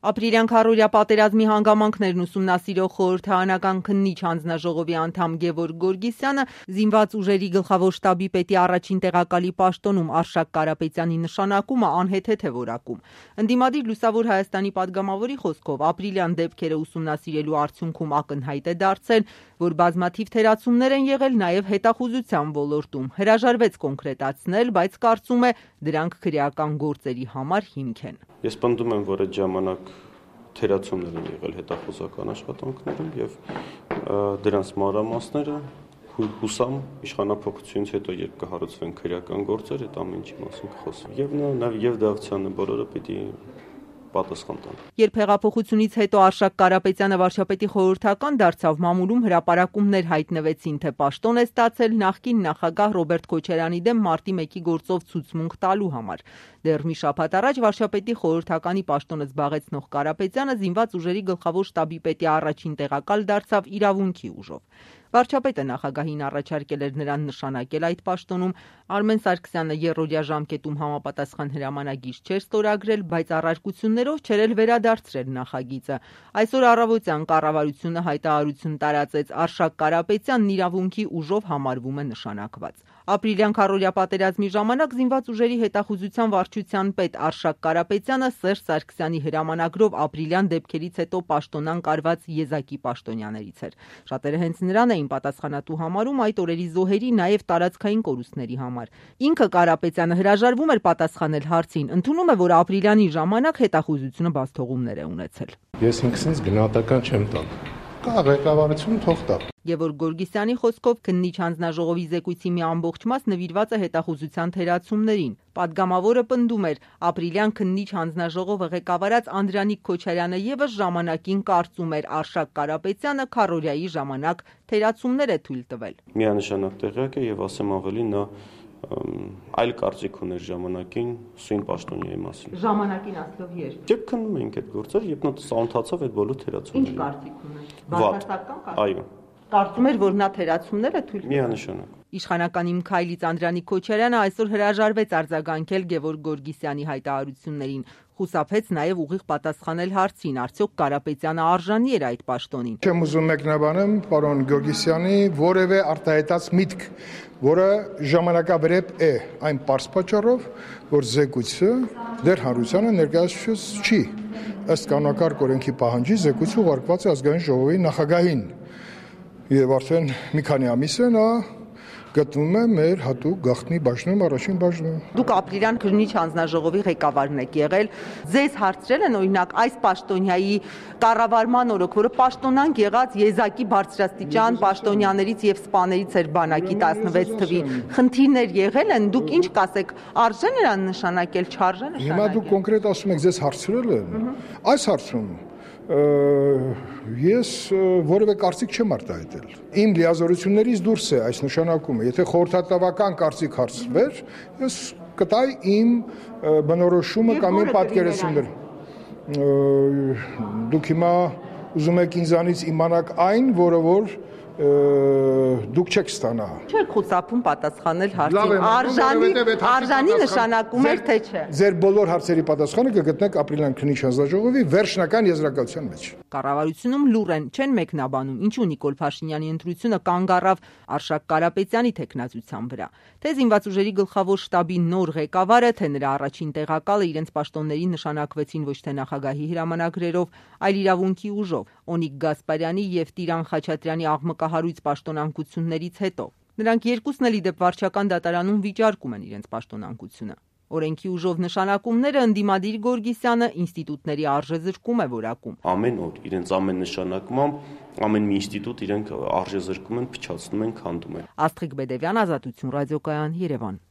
Ապրիլյան քառօրյա պատերազմի հանգամանքներն ուսումնասիրող խորհրդարանական քննիչ հանձնաժողովի անդամ Գևորգ Գորգիսյանը զինված ուժերի գլխավոր շտաբի պետի առաջին տեղակալի պաշտոնում Արշակ Կարապետյանի նշանակումը անհեթեթ է որակում։ Ընդդիմադիր Լուսավոր Հայաստանի падգամավորի խոսքով ապրիլյան դեպքերը ուսումնասիրելու արդյունքում ակնհայտ է դարձել, որ բազմաթիվ թերացումներ են եղել նաև հետախուզության ոլորտում։ Հրաժարվեց կոնկրետացնել, բայց կարծում է դրանք քրեական գործերի համար հիմք են։ Ես պնդում եմ, որ այդ ժամանակ թերացումներ են եղել հետախուզական աշխատանքներում եւ դրանց մանրամասները հուսամ իշխանափոխությունից հետո երբ կհարուցվեն քրեական գործեր, այդ ամեն ինչի մասին կխոսվի։ Եվ նաեւ Դավթյանը բոլորը պիտի պատասխան տան։ Երբ հեղափոխությունից հետո Արշակ Կարապետյանը վարչապետի խորհրդական դարձավ, մամուլում հրապարակումներ հայտնվեցին, թե պաշտոն է ստացել նախկին նախագահ Ռոբերտ Քոչարյանի դեմ մարտի 1-ի գործով ցուցմունք տալու համար։ Դեռ մի շաբաթ առաջ վարչապետի խորհրդականի պաշտոնը զբաղեցնող Կարապետյանը զինված ուժերի գլխավոր շտաբի պետի առաջին տեղակալ դարձավ իրավունքի ուժով։ Վարչապետը նախագահին առաջարկել էր նրան նշանակել այդ պաշտոնում։ Արմեն Սարգսյանը երրորդյա ժամկետում համապատասխան հրամանագիր չէր ստորագրել, բայց առարկություններով չէր էլ վերադարձրել նախագիծը։ Այսօր առավոտյան կառավարությունը հայտարարություն տարածեց՝ Արշակ Կարապետյանն իրավունքի ուժով համարվում է նշանակված։ Ապրիլյան քառօրյա պատերազմի ժամանակ զինված ուժերի հետախուզության վարչության պետ Արշակ Կարապետյանը Սերժ Սարգսյանի հրամանագրով ապրիլյան դեպքերից հետո պաշտոնան կարված եզակի պաշտոնյաներից էր։ Շատերը հենց նրան էին պատասխանատու համարում այդ օրերի զոհերի, նաև տարածքային կորուստների համար։ Ինքը Կարապետյանը հրաժարվում էր պատասխանել հարցին, ընդունում է, որ ապրիլյանի ժամանակ հետախուզությունը բացթողումներ է ունեցել։ Ես ինքսինց գնահատական չեմ տալ։ Կա ղեկավարությունը թող տա։ Գևորգ Գորգիսյանի խոսքով քննիչ հանձնաժողովի զեկույցի մի ամբողջ մաս նվիրված է հետախուզության թերացումներին։ Պատգամավորը պնդում էր, ապրիլյան քննիչ հանձնաժողովը ղեկավարած Անդրանիկ Քոչարյանը եւս ժամանակին կարծում էր Արշակ Կարապետյանը քառօրյայի ժամանակ թերացումներ է թույլ տվել։ Միանշանակ տեղյակ է եւ ասեմ ավելի, նա այլ կարծիք ուներ ժամանակին սույն պաշտոնյայի մասին։ Ժամանակին ասելով երբ։ Երբ քննում էինք այդ գործերը, երբ նա սանթացավ այդ բոլոր թերացումները։ Ինչ կարծիք ուներ։ Բացասական կարծիք։ Այո։ Կարծում էր, որ նա թերացումներ է թույլ տվել։ Միանշանակ։ Իշխանական Իմ քայլից Անդրանիկ Քոչարյանը այսօր հրաժարվեց արձագանքել Գևորգ Գորգիսյանի հայտարարություններին։ Խուսափեց նաև ուղիղ պատասխանել հարցին, արդյոք Կարապետյանը արժանի էր այդ պաշտոնին։ Չեմ ուզում մեկնաբանել պարոն Գորգիսյանի որևէ արտահայտած միտք, որը ժամանակավրեպ է, այն պարզ պատճառով, որ զեկույցը դեռ հանրությանը ներկայացված չի։ Ըստ կանոնակարգ օրենքի պահանջի զեկույցը ուղարկված է ազգային ժողովի նախագահին։ Եվ արդեն մի քանի ամիս է նա գտնվում է մեր հատուկ գաղտնի բաժնում, առաջին բաժնում։ Դուք ապրիլյան քննիչ հանձնաժողովի ղեկավարն եք եղել։ Ձեզ հարցրել են օրինակ այս պաշտոնյայի կառավարման օրոք, որը պաշտոնանկ եղած եզակի բարձրաստիճան պաշտոնյաներից եւ սպաներից էր բանակի 16 թվի։ Խնդիրներ եղել են, դուք ինչ կասեք, արժե նրան նշանակել, չարժե նշանակել։ Հիմա դուք կոնկրետ ասում եք, ձեզ հարցրել են։ Այս հարցում ես որևէ կարծիք չեմ արտահայտել։ Իմ լիազորություններից դուրս է այս նշանակումը։ Եթե խորհրդատվական կարծիք հարցվեր, ես կտայի իմ բնորոշումը կամ իմ պատկերացումները։ Դուք հիմա ուզում եք ինձանից իմանալ այն, որը որ դուք չեք ստանա։ Չեք խուսափում պատասխանել հարցին։ Արժանի նշանակում էր, թե չէ։ Ձեր բոլոր հարցերի պատասխանը կգտնեք ապրիլյան քննիչ հանձնաժողովի վերջնական եզրակացության մեջ։ Կառավարությունում լուր են, չեն մեկնաբանում, ինչու Նիկոլ Փաշինյանի ընտրությունը կանգ առավ Արշակ Կարապետյանի թեկնածության վրա։ Թե զինված ուժերի գլխավոր շտաբի նոր ղեկավարը, թե նրա առաջին տեղակալը իրենց պաշտոններին նշանակվեցին ոչ թե նախագահի հրամանագրերով, այլ իրավունքի ուժով, Օնիկ Գասպարյանի եւ Տիրան Խաչատրյանի աղմկահարույց պաշտոնանկություններից հետո։ Նրանք երկուսն էլ ի դեպ վարչական դատարանում վիճարկում են իրենց պաշտոնանկությունը։ Օրենքի ուժով նշանակումները ընդդիմադիր Գորգիսյանը ինստիտուտների արժեզրկում է որակում։ Ամեն օր իրենց ամեն նշանակմամբ ամեն մի ինստիտուտ իրենք արժեզրկում են, փչացնում են, քանդում են։ Աստղիկ Բեդևյան, Ազատություն ռադիոկայան, Երևան։